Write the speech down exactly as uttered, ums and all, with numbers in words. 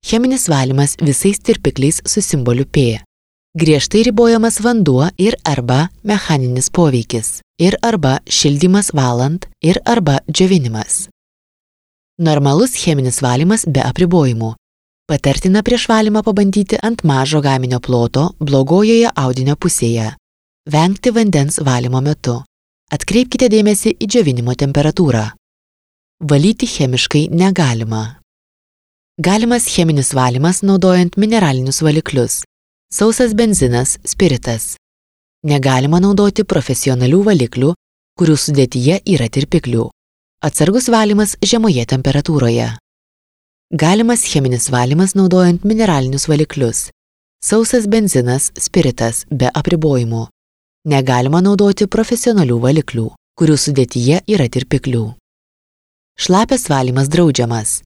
Cheminis valymas visais tirpikliais su simboliu P. Griežtai ribojamas vanduo ir arba mechaninis poveikis, ir arba šildymas valant, ir arba džiovinimas. Normalus cheminis valymas be apribojimų. Patartina prieš valymą pabandyti ant mažo gaminio ploto blogojoje audinio pusėje. Vengti vandens valymo metu. Atkreipkite dėmesį į džiovinimo temperatūrą. Valyti chemiškai negalima. Galimas cheminis valymas naudojant mineralinius valiklius. Sausas benzinas, spiritas. Negalima naudoti profesionalių valiklių, kurių sudėtyje yra tirpiklių. Atsargus valymas žemoje temperatūroje. Galimas cheminis valymas naudojant mineralinius valiklius. Sausas benzinas, spiritas be apribojimų. Negalima naudoti profesionalių valiklių, kurių sudėtyje yra tirpiklių. Šlapias valymas draudžiamas.